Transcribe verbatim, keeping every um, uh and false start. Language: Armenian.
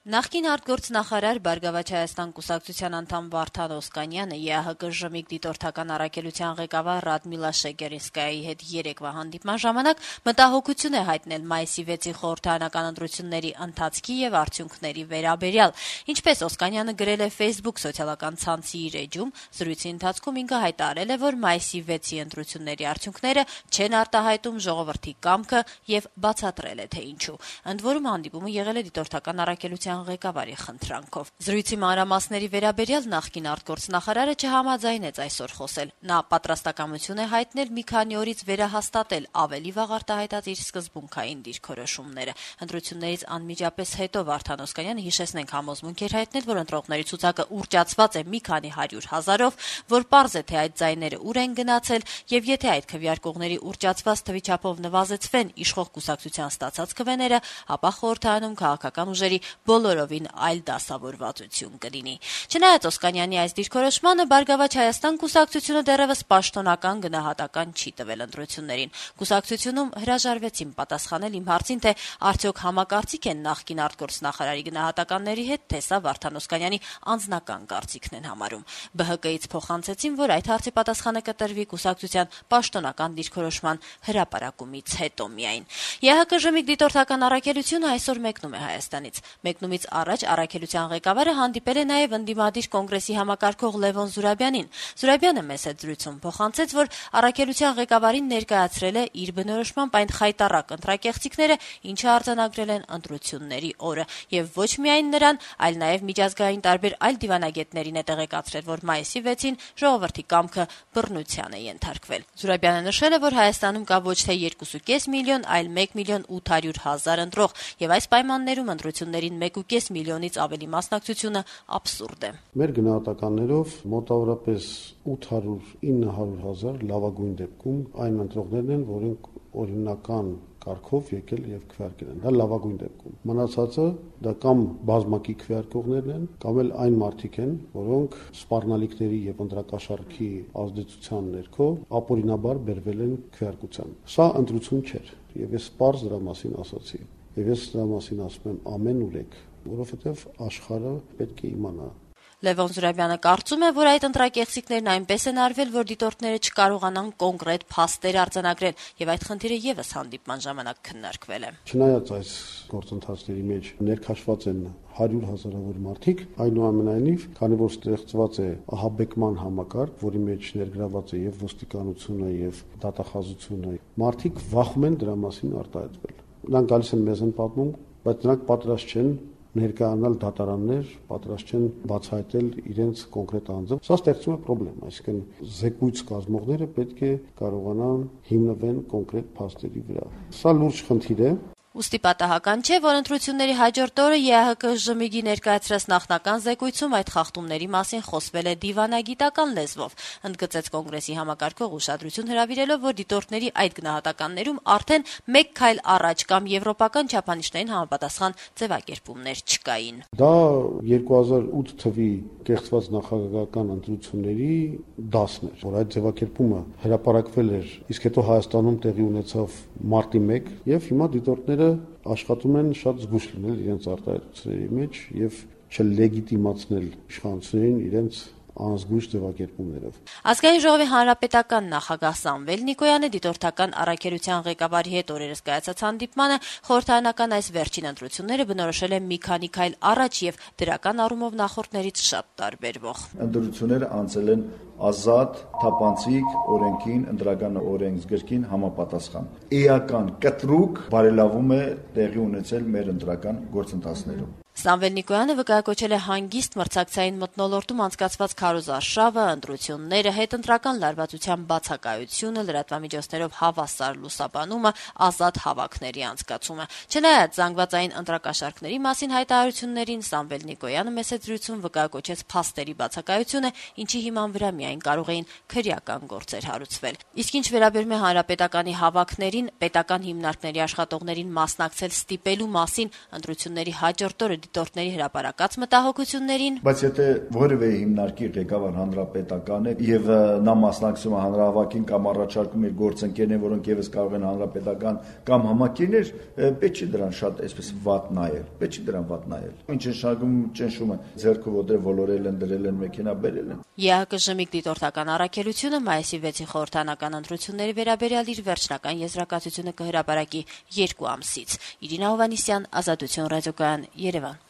Նախկին արտգործնախարար Բարգավաճ Հայաստան կուսակցության անդամ Վարդան Օսկանյանը Է Ա Հ Կ Ժ-ի դիտորդական առաքելության ղեկավար Ռադմիլա Շեգերինսկայայի հետ երեկվա հանդիպման ժամանակ մտահոգություն է հայտնել մայիսի վեցի խորհրդարանական ընտրությունների ընթացքի եւ արդյունքների վերաբերյալ։ Ինչպես Օսկանյանը գրել է Facebook սոցիալական ցանցի իր էջում, զրույցի ընթացքում ինքը հայտարարել է, որ մայիսի վեցի ընտրությունների արդյունքները չեն արտահայտում ժողովրդի կամքը եւ բացատրել է, թե ինչու։ Ընդ որում հանդիպումը եղել է դիտորդական առաքելության ղեկավարի խնդրանքով։ Զրույցի մանրամասների վերաբերյալ նախկին արտգործնախարարը չհամաձայնեց այսօր խոսել։ Նա պատրաստակամություն է հայտնել մի քանի օրից վերահաստատել ավելի վաղ արտահայտած իր սկզբունքային դիրքորոշումները։ Ընտրություններից անմիջապես հետո Վարդան Օսկանյանը, հիշեցնենք, համոզմունք էր հայտնել, որ ընտրողների ցուցակը ուռճացված է մի քանի հարյուր հազարով, որ պարզ է, թե այդ ձայները ուր են գնացել, եւ եթե այդ քվեարկողների ուռճացված թվի չափով նվազեցվեն իշխող կուսակցության ստացած քվեները, ապա խորհրդարանում քաղաքական ուժերի բոլորովին այլ դասավորվածություն կլինի։ Չնայած Օսկանյանի այս դիրքորոշմանը, Բարգավաճ Հայաստան կուսակցությունը դեռևս պաշտոնական գնահատական չի տվել ընտրություններին։ Կուսակցությունում հրաժարվեցին պատասխանել իմ հարցին, թե արդյոք համակարծիք են նախկին արտգործնախարարի գնահատականների հետ, թե սա Վարդան Օսկանյանի անձնական կարծիքն են համարում։ Բ Հ Կից փոխանցեցին, որ այդ հարցի պատասխանը կտրվի կուսակցության պաշտոնական դիրքորոշման հրապարակումից հետո միայն։ Է Ա Հ Կ Ժ-ի դիտորդական առաքելությունը այսօր մեկնում է Հայաստանից։ Մեկնումից առաջ առաքելության ղեկավարը հանդիպել է նաև ընդդիմադիր կոնգրեսի համակարգող Լևոն Զուրաբյանին։ Զուրաբյանը մեծ հետ զրույցում փոխանցեց, որ առաքելության ղեկավարին ներկայացրել է իր բնորոշմամբ այն խայտառակ ընտրակեղծիքները, ինչը արձանագրել են ընտրությունների օրը, եւ ոչ միայն նրան, այլ նաև միջազգային տարբեր այլ դիվանագետներին է տեղեկացրել, որ մայիսի վեցին ժողովրդի կամքը բռնության է ենթարկվել։ Զուրաբյանը նշել է, որ Հայաստանում կա ոչ թե երկու կόμma պենս միլիոն, այլ մեկ միլիոն ութ հարյուր հազար ընտրող, եւ այս պայմաններում ընտրություններին մեկ կόμma պենս միլիոնից ավելի մասնակցությունը աբսուրդ է։ Մեր գնահատականներով մոտավորապես ութ հարյուր ինը հարյուր հազար լավագույն դեպքում այն ընտրողներն են, որոնք օրինական կարգով եկել եւ քվեարկել են։ Դա լավագույն դեպքում։ Մնացածը դա կամ բազմակի քվեարկողներն են, կամ էլ այն մարդիկ են, որոնք սպառնալիքների եւ ընտրակաշառքի ազդեցության ներքո ապօրինաբար բերվել են քվեարկության։ Սա ընտրություն չէր, եւ ես պարզ դրա մասին ասացի։ Եվ ես դրա մասին ասում եմ ամեն ուրեք, որովհետեւ աշխարհը պետք է իմանա։ Լևոն Զուրաբյանը կարծում է, որ այդ ընտրակեղծիքներն այնպես են արվել, որ դիտորդները չկարողանան կոնկրետ փաստեր արձանագրել, եւ այդ խնդիրը եւս հանդիպման ժամանակ քննարկվել է։ Չնայած այս գործընթացների մեջ ներքաշված են հարյուր հազարավոր մարդիկ, այնուամենայնիվ, քանի որ ստեղծված է ահաբեկման համակարգ, որի մեջ ներգրաված է եւ ոստիկանությունը եւ դատախազությունը, մարդիկ վախում են դրա մասին արտահայտվել։ Նրանք գալիս են մեզ են պատմում, բայց նրանք պատրաստ չեն ներկայանալ դատարաններ, պատրաստ չեն բացահայտել իրենց կոնկրետ անձը։ Սա ստեղծում է խնդրեմ, այսինքն զեկույց կազմողները պետք է կարողանան հիմնվեն կոնկրետ փաստերի վրա։ Սա լուրջ խնդիր է։ Ուստի պատահական չէ, որ ընտրությունների հաջորդ օրը Է Ա Հ Կ Ժ-ի ներկայացրած նախնական զեկույցում այդ խախտումների մասին խոսվել է դիվանագիտական լեզվով, ընդգծեց կոնգրեսի համակարգող ուշադրություն հրավիրելով, որ դիտորդների այդ գնահատականներում արդեն մեկ քայլ առաջ կամ եվրոպական չափանիշներին համապատասխան ձևակերպումներ չկային։ Դա երկու հազար ութ թվականի կեղծված նախագահական ընտրությունների դասն էր, որ այդ ձևակերպումը հրապարակվել էր, իսկ հետո Հայաստանում տեղի ունեցավ մարտի մեկը, եւ հիմա դիտորդները աշխատում են շատ զգուշ լինել իրենց արտահայտությունների մեջ եւ չլեգիտիմացնել իշխանություններին իրենց անզգույշ ձևակերպումներով։ Ազգային ժողովի հանրապետական նախագահ Սամվել Նիկոյանը դիտորդական առաքելության ղեկավարի հետ օրերս կայացած հանդիպմանը խորհրդարանական այս վերջին ընտրությունները բնորոշել է մի քանի քայլ առաջ եւ դրական առումով նախորդներից շատ տարբերվող։ Ընտրությունները անցել են ազատ, թափանցիկ, օրենքին, ընտրական օրենսգրքին համապատասխան։ Էական կտրուկ բարելավում է տեղի ունեցել մեր ընտրական գործընթացներում։ Սամվել Նիկոյանը վկայակոչել է հանգիստ մրցակցային մթնոլորտում անցկացված քարոզարշավը, ընտրությունները, հետընտրական լարվածության բացակայությունը, լրատվամիջոցներով հավասար լուսաբանումը, ազատ հավաքների անցկացումը։ Չնայած զանգվածային ընտրակաշառքների մասին հայտարարություններին, Սամվել Նիկոյանը մեծ զրույցում վկայակոչեց փաստերի բացակայությունը, ինչի հիման վրա միայն կարող էին քրեական գործեր հարուցվել։ Իսկ ինչ վերաբերում է հանրապետականի հավաքներին, պետական հիմնարկների աշխատողներին մասնակցել ստիպելու մասին, ընտրությունների հաջորդ օրը դիտորդների հրապարակած մտահոգություններին, բայց եթե որևէ հիմնարկի ղեկավար հանրապետական է եւ նա մասնակցում է հանրահավաքին կամ առաջարկում իր գործընկերներին, որոնք եւս կարող են հանրապետական կամ համակիրներ, պետք չի դրան շատ այսպես վատ նայել, պետք չի դրան վատ նայել։ Ինչ են շարժում ճնշումը, ձեռքը ոտը ոլորել են, դրել են, մեքենա բերել են։ ԵԱՀԿ դիտորդական առաքելությունը մայիսի վեցի խորհրդանական ընտրությունների վերաբերյալ իր վերջնական եզրակացությունը կհրապարակի երկու ամսից։ Իրինա Հովհաննիսյան, Ազատություն ռադիոկայան, Երևան։